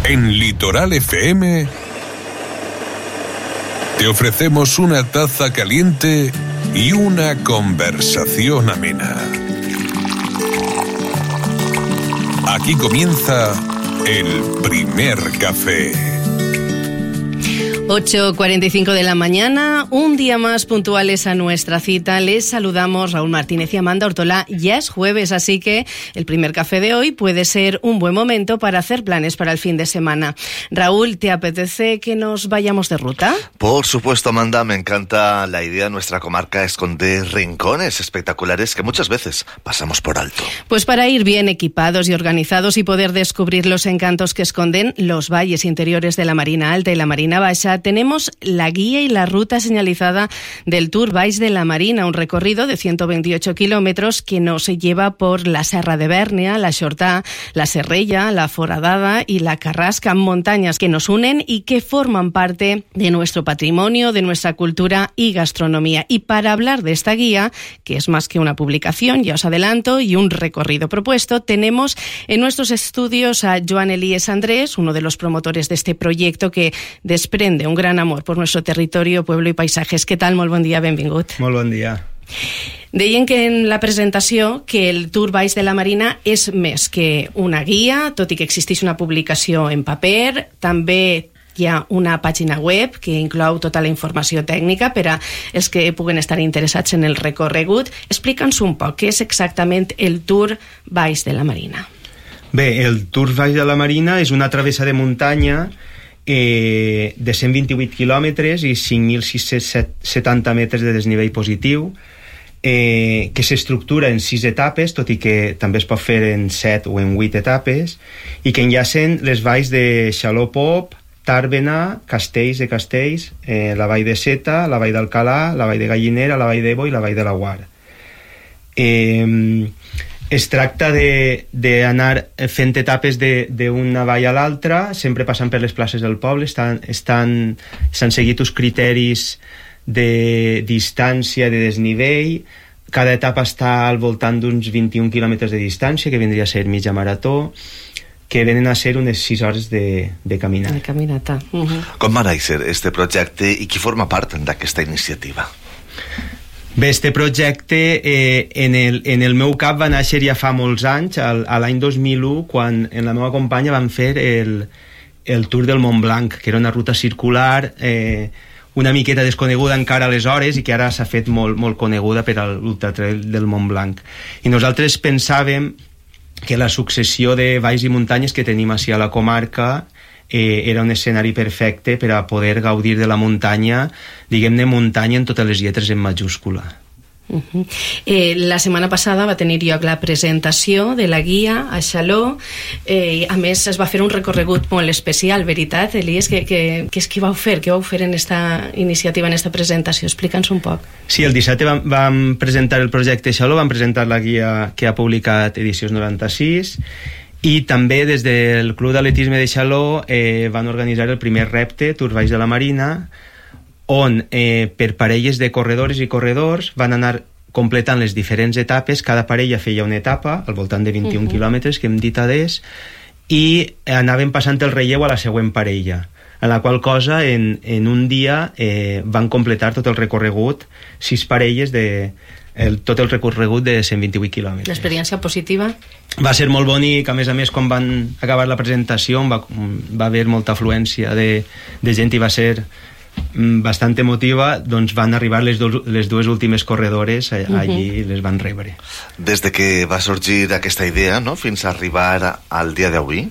En Litoral FM te ofrecemos una taza caliente y una conversación amena. Aquí comienza el primer café. 8:45 de la mañana, un día más puntuales a nuestra cita. Les saludamos Raúl Martínez y Amanda Ortolá. Ya es jueves, así que el primer café de hoy puede ser un buen momento para hacer planes para el fin de semana. Raúl, ¿te apetece que nos vayamos de ruta? Por supuesto, Amanda, me encanta la idea. Nuestra comarca esconde rincones espectaculares que muchas veces pasamos por alto. Pues para ir bien equipados y organizados y poder descubrir los encantos que esconden los valles interiores de la Marina Alta y la Marina Baixa, tenemos la guía y la ruta señalizada del Tour Valls de la Marina, un recorrido de 128 kilómetros que nos lleva por la Serra de Bèrnia, la Xortà, la Serrella, la Foradada y la Carrasca, montañas que nos unen y que forman parte de nuestro patrimonio, de nuestra cultura y gastronomía. Y para hablar de esta guía, que es más que una publicación, ya os adelanto, y un recorrido propuesto, tenemos en nuestros estudios a Joan Elías Andrés, uno de los promotores de este proyecto que desprende un gran amor por nuestro territorio, pueblo i paisatges. Què tal? Molt bon dia, benvingut. Molt bon dia. Deien que en la presentació que el Tour Valls de la Marina és més que una guia, tot i que existeix una publicació en paper, també hi ha una pàgina web que inclou tota la informació tècnica per a els que puguen estar interessats en el recorregut. Explica'ns un poc què és exactament el Tour Valls de la Marina. Bé, el Tour Valls de la Marina és una travessa de muntanya de 128 quilòmetres i 5.670 metres de desnivell positiu, que s'estructura en 6 etapes, tot i que també es pot fer en 7 o en 8 etapes, i que enllacen les valls de Xaló-Pop, Tàrbena, Castells de Castells, la vall de Seta, la vall d'Alcalà, la vall de Gallinera, la vall d'Ebo i la vall de Laguar. Es tracta d'anar fent etapes d'una vall a l'altra, sempre passant per les places del poble. S'han seguit uns criteris de distància, de desnivell. Cada etapa està al voltant d'uns 21 quilòmetres de distància, que vindria a ser mitja marató, que venen a ser unes 6 hores de caminata. De caminata. Com va néixer este projecte i qui forma part d'aquesta iniciativa? Bé, este projecte en el meu cap va néixer ja fa molts anys, a l'any 2001, quan en la meva companya vam fer el Tour del Mont Blanc, que era una ruta circular una miqueta desconeguda encara aleshores i que ara s'ha fet molt coneguda per a l'Ultratrail del Mont Blanc. I nosaltres pensàvem que la successió de valls i muntanyes que tenim així a la comarca era un escenari perfecte per a poder gaudir de la muntanya, diguem-ne muntanya en totes les lletres en majúscula. La setmana passada va tenir lloc la presentació de la guia a Xaló, a més es va fer un recorregut molt especial, veritat, Elies? Què vau fer? Què vau fer en esta iniciativa, en esta presentació? Explica'ns un poc. Sí, el dissabte vam presentar el projecte Xaló, vam presentar la guia que ha publicat Edicions 96, i també des del Club d'Atletisme de Xaló van organitzar el primer repte, Tour Valls de la Marina, on per parelles de corredores i corredors van anar completant les diferents etapes. Cada parella feia una etapa al voltant de 21 quilòmetres, que hem dit adés, i anaven passant el relleu a la següent parella, en la qual cosa en un dia van completar tot el recorregut, 6 parelles tot el recorregut de 128 quilòmetres. L'experiència positiva? Va ser molt bonic, a més, quan van acabar la presentació va haver molta afluència de gent i va ser bastant emotiva. Doncs van arribar les dues últimes corredores allí i les van rebre. Des de que va sorgir aquesta idea, no?, fins a arribar al dia d'avui,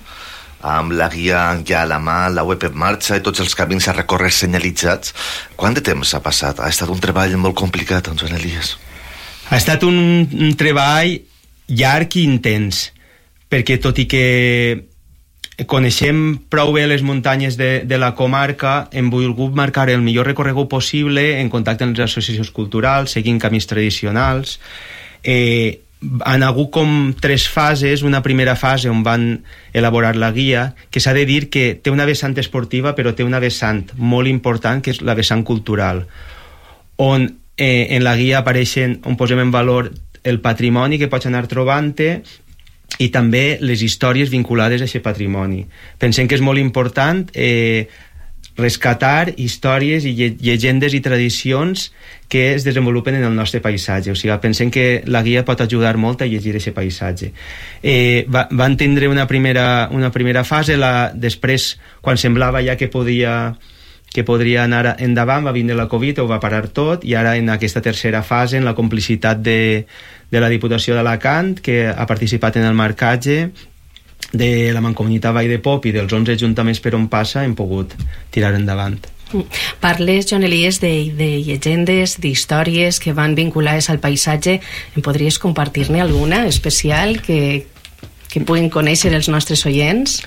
amb la guia ja a la mà, la web en marxa i tots els camins a recórrer senyalitzats, quant de temps ha passat? Ha estat un treball molt complicat, Joan Elías? Ha estat un treball llarg i intens, perquè tot i que coneixem prou bé les muntanyes de la comarca, hem volgut marcar el millor recorregut possible en contacte amb les associacions culturals, seguint camins tradicionals. Han hagut com 3 fases. Una primera fase on van elaborar la guia, que s'ha de dir que té una vessant esportiva, però té una vessant molt important, que és la vessant cultural, on en la guia apareixen, on posem en valor el patrimoni que pots anar trobant-te, i també les històries vinculades a aquest patrimoni. Pensem que és molt important rescatar històries i llegendes i tradicions que es desenvolupen en el nostre paisatge. O sigui, pensem que la guia pot ajudar molt a llegir aquest paisatge. Van tindre una primera fase, després, quan semblava ja que podria anar endavant, va vindre la Covid, ho va parar tot, i ara en aquesta tercera fase, en la complicitat de la Diputació d'Alacant, que ha participat en el marcatge, de la Mancomunitat Vall de Pop i dels 11 ajuntaments per on passa, hem pogut tirar endavant. Parles, Joan Elies, de llegendes, d'històries que van vinculades al paisatge. Em podries compartir-ne alguna especial que puguin conèixer els nostres oients?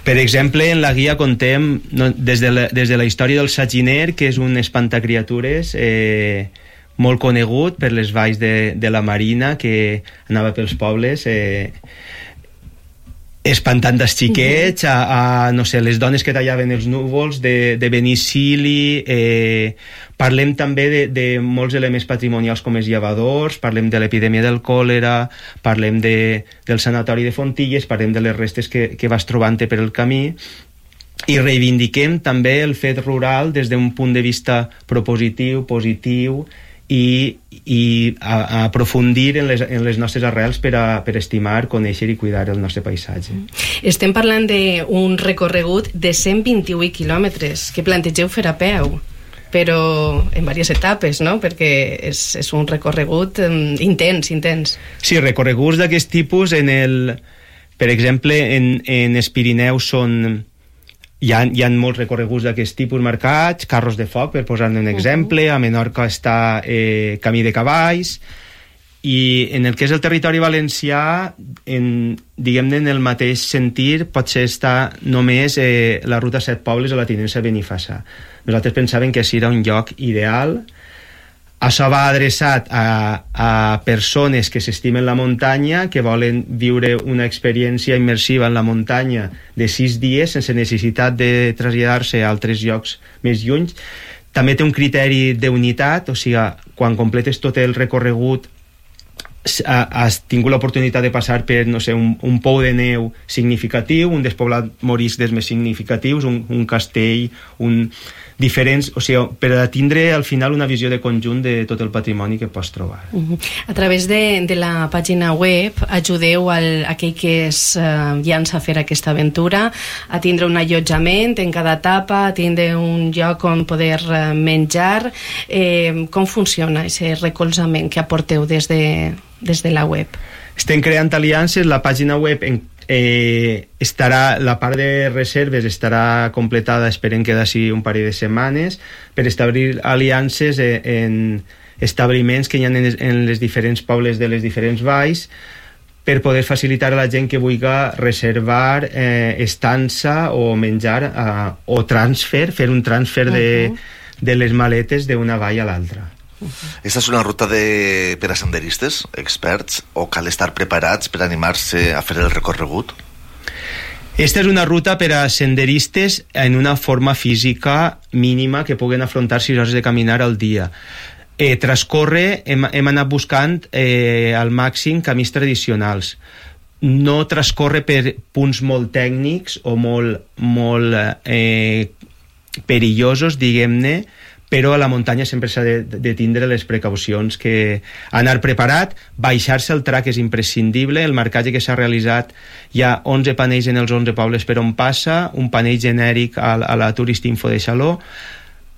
Per exemple, en la guia contem des de la història del Saginer, que és un espantacriatures molt conegut per les valls de la Marina, que anava pels pobles espantant els xiquets, no sé, les dones que tallaven els núvols, de Benicili. Parlem també de molts elements patrimonials com els llevadors, parlem de l'epidèmia del còlera, parlem del sanatori de Fontilles, parlem de les restes que vas trobant per el camí, i reivindiquem també el fet rural des d'un punt de vista propositiu, positiu, i a aprofundir en les nostres arrels per estimar, conèixer i cuidar el nostre paisatge. Estem parlant d'un recorregut de 128 quilòmetres que plantegeu fer a peu, però en diverses etapes, no? Perquè és un recorregut intens. Sí, recorreguts d'aquest tipus, per exemple, en els Pirineus hi ha molts recorreguts d'aquest tipus marcats, carros de foc, per posar-ne un exemple. A Menorca està camí de cavalls, i en el que és el territori valencià, diguem-ne, en el mateix sentir, potser està només la ruta 7 Pobles o la Tinença Benifassà. Nosaltres pensàvem que això era un lloc ideal. Això va adreçat a persones que s'estimen la muntanya, que volen viure una experiència immersiva en la muntanya de 6 dies sense necessitat de traslladar-se a altres llocs més lluny. També té un criteri d'unitat, o sigui, quan completes tot el recorregut has tingut l'oportunitat de passar per, no sé, un pou de neu significatiu, un despoblat morisc dels més significatius, un castell, diferents, o sigui, per a tindre al final una visió de conjunt de tot el patrimoni que pots trobar. A través de la pàgina web ajudeu aquell que es llança a fer aquesta aventura a tindre un allotjament en cada etapa, a tindre un lloc on poder menjar. Com funciona aquest recolzament que aporteu des de la web? Estem creant aliances. La pàgina web estarà, la part de reserves estarà completada, esperem que d'ací un parell de setmanes, per establir aliances en establiments que hi ha en les diferents pobles de les diferents valls, per poder facilitar a la gent que vulgui reservar estança o menjar o transfer, fer un transfer de les maletes d'una vall a l'altra. Esta és una ruta per a senderistes, experts, o cal estar preparats per animar-se a fer el recorregut? Esta és una ruta per a senderistes en una forma física mínima que puguen afrontar 6 hores de caminar al dia. Transcorre, hem anat buscant al màxim camins tradicionals. No transcorre per punts molt tècnics o molt perillosos, diguem-ne, però a la muntanya sempre s'ha de tindre les precaucions, que anar preparat, baixar-se el track és imprescindible. El marcatge que s'ha realitzat, hi ha 11 panells en els 11 pobles per on passa, un panell genèric a la Turistinfo de Xaló,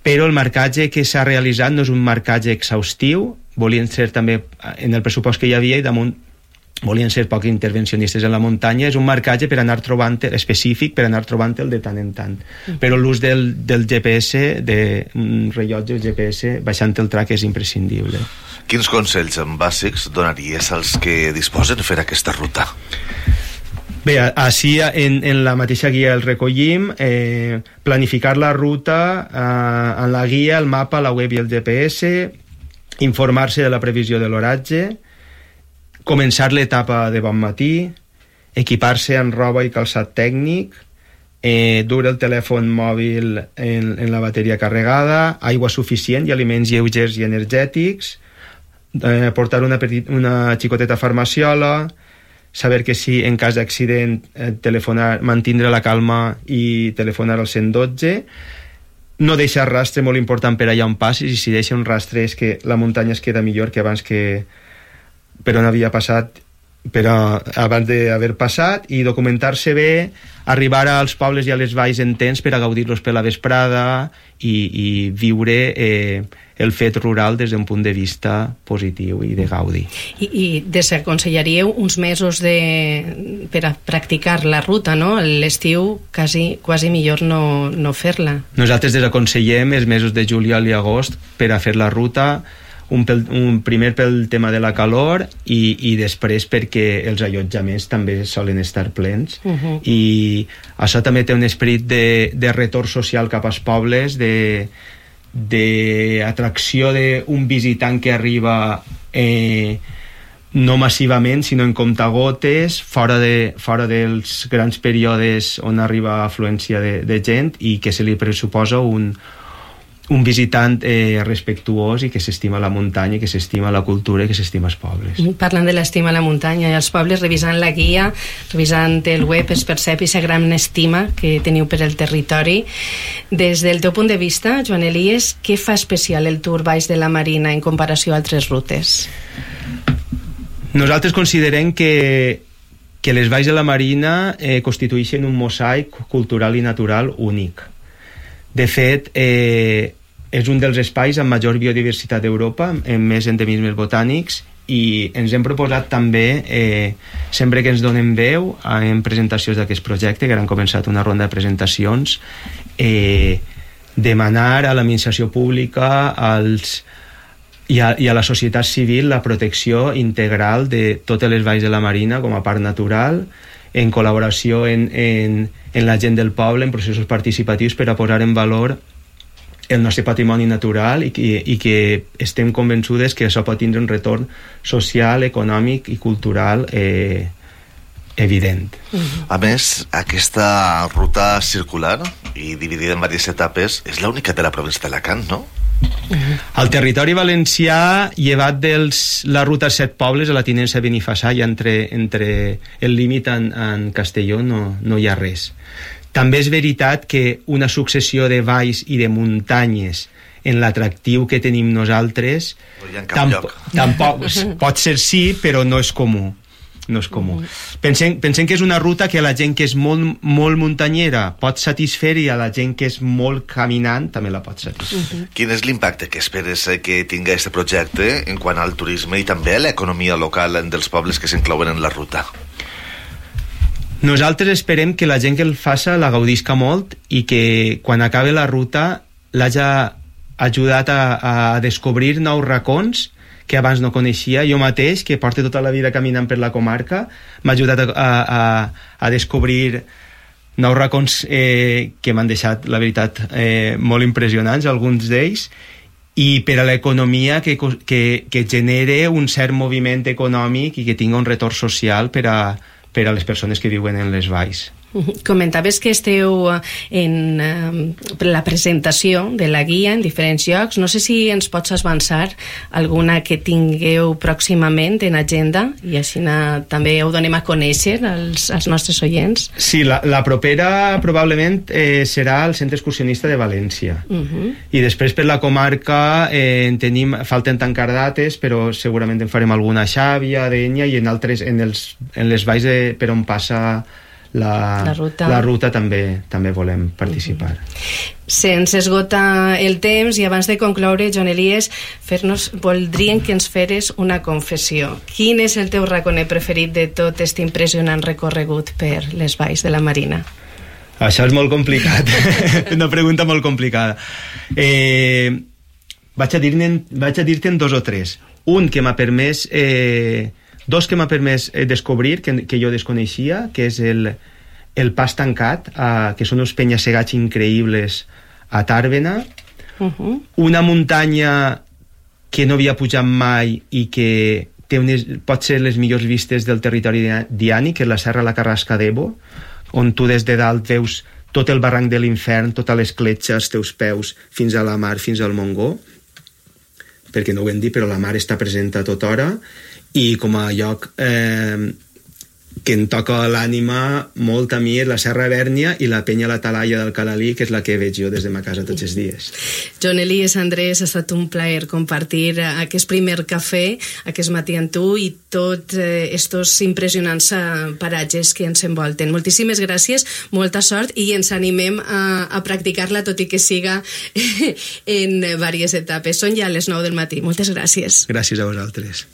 però el marcatge que s'ha realitzat no és un marcatge exhaustiu, volien ser també, en el pressupost que hi havia, i damunt volien ser poc intervencionistes en la muntanya. És un marcatge per anar trobant específic, per anar trobant-el de tant en tant. Però l'ús del GPS, d'un rellotge GPS, baixant el track és imprescindible. Quins consells bàsics donaries als que disposen de fer aquesta ruta? Bé, així en la mateixa guia el recollim. Planificar la ruta en la guia, el mapa, la web i el GPS, informar-se de la previsió de l'oratge, començar l'etapa de bon matí, equipar-se en roba i calçat tècnic, dur el telèfon mòbil en la bateria carregada, aigua suficient i aliments lleugers i energètics, portar una xicoteta farmaciola, saber que sí, en cas d'accident, telefonar, mantindre la calma i telefonar al 112, no deixar rastre, molt important per allà on passis, i si deixa un rastre és que la muntanya es queda millor que abans que per on havia passat, però abans d'haver passat, i documentar-se bé, arribar als pobles i a les valls en temps per a gaudir-los per la vesprada i viure el fet rural des d'un punt de vista positiu i de gaudi. I desaconsellaríeu uns mesos per a practicar la ruta, no? L'estiu quasi millor no fer-la. Nosaltres desaconsellem els mesos de juliol i agost per a fer la ruta, primer pel tema de la calor i després perquè els allotjaments també solen estar plens, i això també té un esperit de retorn social cap als pobles, d'atracció d'un visitant que arriba no massivament sinó en comptagotes, fora dels grans períodes on arriba afluència de gent, i que se li pressuposa un visitant respectuós i que s'estima la muntanya, que s'estima la cultura i que s'estima els pobles. Parlant de l'estima a la muntanya i els pobles, revisant la guia, revisant el web, es percep aquesta gran estima que teniu per el territori. Des del teu punt de vista, Joan Elies, què fa especial el Tour Baix de la Marina en comparació a altres rutes? Nosaltres considerem que les valls de la Marina constitueixen un mosaic cultural i natural únic. De fet, és un dels espais amb major biodiversitat d'Europa, amb més endemismes botànics, i ens hem proposat també, sempre que ens donem veu en presentacions d'aquest projecte, que han començat una ronda de presentacions, demanar a l'administració pública i a la societat civil la protecció integral de totes les valls de la Marina com a parc natural, en col·laboració en la gent del poble, en processos participatius, per a posar en valor el nostre patrimoni natural i que estem convençudes que això pot tindre un retorn social, econòmic i cultural evident. A més, aquesta ruta circular i dividida en diverses etapes és l'única de la província d'Alacant, no? Al territori valencià, llevat la ruta 7 pobles, a la tinença de Benifassà, i entre el límit en Castelló no hi ha res. També és veritat que una successió de valls i de muntanyes en l'atractiu que tenim nosaltres tampoc pot ser sí, però no és comú. No és comú. Pensem que és una ruta que a la gent que és molt, molt muntanyera pot satisfer, i a la gent que és molt caminant també la pot satisfer. Quin és l'impacte que esperes que tingui aquest projecte en quant al turisme i també a l'economia local dels pobles que s'inclouen en la ruta? Nosaltres esperem que la gent que el faça la gaudisca molt i que quan acabe la ruta l'hagi ajudat a descobrir nous racons que abans no coneixia. Jo mateix, que porto tota la vida caminant per la comarca, m'ha ajudat a descobrir nous racons que m'han deixat, la veritat, molt impressionants, alguns d'ells, i per a l'economia que genere un cert moviment econòmic i que tingui un retorn social per a les persones que viuen en les valls. Comentaves que esteu en la presentació de la guia en diferents llocs. No sé si ens pots avançar alguna que tingueu pròximament en agenda i així també ho donem a conèixer als nostres oients. Sí, la propera probablement serà el Centre Excursionista de València. I després per la comarca falten tancar dates, però segurament en farem alguna a Xàbia, a Dénia, i en altres, en les valls per on passa la ruta també volem participar. Se'ns esgota el temps i abans de concloure, Joan Elies, voldríem que ens feres una confessió. Quin és el teu raconer preferit de tot aquest impressionant recorregut per les valls de la Marina? Això és molt complicat. Una pregunta molt complicada. Vaig a dir-te'n dos o tres. Dos que m'ha permès descobrir, que jo desconeixia, que és el Pas Tancat, que són uns penya-segats increïbles a Tàrbena, una muntanya que no havia pujat mai i que pot ser les millors vistes del territori diani, que és la Serra la Carrasca d'Ebo, on tu des de dalt veus tot el barranc de l'Infern, tota l'escletxa als teus peus, fins a la mar, fins al Montgó, perquè no ho hem dit, però la mar està present a tota hora, i com a lloc que em toca l'ànima molt a mi és la Serra Bèrnia i la penya La Talaia del Calalí, que és la que veig jo des de ma casa tots els dies. Joan Elies, Andrés, ha estat un plaer compartir aquest primer cafè aquest matí amb tu i tots estos impressionants paratges que ens envolten. Moltíssimes gràcies, molta sort i ens animem a practicar-la, tot i que siga en diverses etapes. Són ja les 9 del matí. Moltes gràcies. Gràcies a vosaltres.